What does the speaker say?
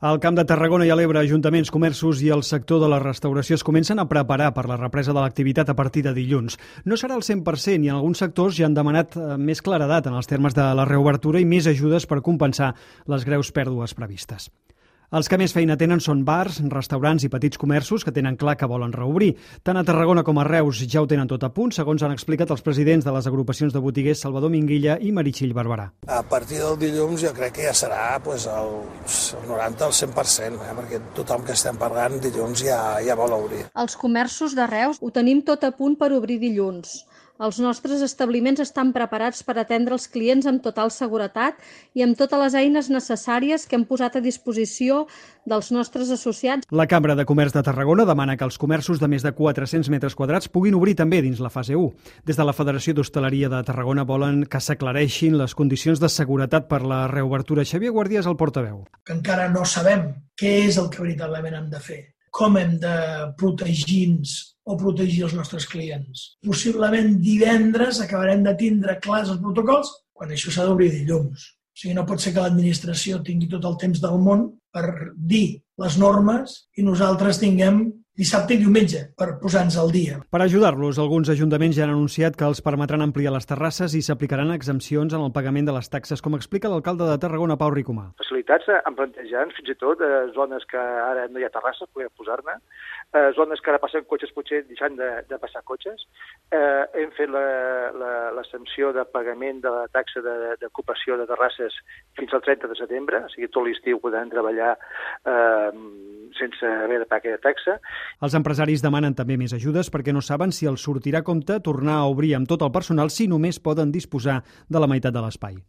Al Camp de Tarragona i a l'Ebre, ajuntaments, comerços i el sector de la restauració es comencen a preparar per la represa de l'activitat a partir de dilluns. No serà el 100% i en alguns sectors ja han demanat més claredat en els termes de la reobertura i més ajudes per compensar les greus pèrdues previstes. Els que més feina tenen són bars, restaurants i petits comerços que tenen clar que volen reobrir. Tant a Tarragona com a Reus ja ho tenen tot a punt, segons han explicat els presidents de les agrupacions de botiguers Salvador Minguilla i Meritxell Barberà. A partir del dilluns jo crec que ja serà el 90 al 100%, perquè tothom que estem parlant dilluns ja vol obrir. Els comerços de Reus ho tenim tot a punt per obrir dilluns. Els nostres establiments estan preparats per atendre els clients amb total seguretat i amb totes les eines necessàries que hem posat a disposició dels nostres associats. La Cambra de Comerç de Tarragona demana que els comerços de més de 400 metres quadrats puguin obrir també dins la fase 1. Des de la Federació d'Hostaleria de Tarragona volen que s'aclareixin les condicions de seguretat per la reobertura. Xavier Guàrdia és el portaveu. Que encara no sabem què és el que veritablement hem de fer, com hem de protegir-nos o protegir els nostres clients. Possiblement divendres acabarem de tindre clars els protocols quan això s'ha d'obrir dilluns. O sigui, no pot ser que l'administració tingui tot el temps del món per dir les normes i nosaltres tinguem dissabte i diumenge per posar-nos al dia. Per ajudar-los, alguns ajuntaments ja han anunciat que els permetran ampliar les terrasses i s'aplicaran exempcions en el pagament de les taxes, com explica l'alcalde de Tarragona, Pau Ricomà. Facilitats en plantejant fins i tot zones que ara no hi ha terrasses, podem posar-ne, zones que ara passen cotxes potser deixant de passar cotxes. Hem fet la sanció de pagament de la taxa d'ocupació de terrasses fins al 30 de setembre, o sigui, tot l'estiu podran treballar sense haver de pagar aquella taxa. Els empresaris demanen també més ajudes perquè no saben si els sortirà a compte tornar a obrir amb tot el personal si només poden disposar de la meitat de l'espai.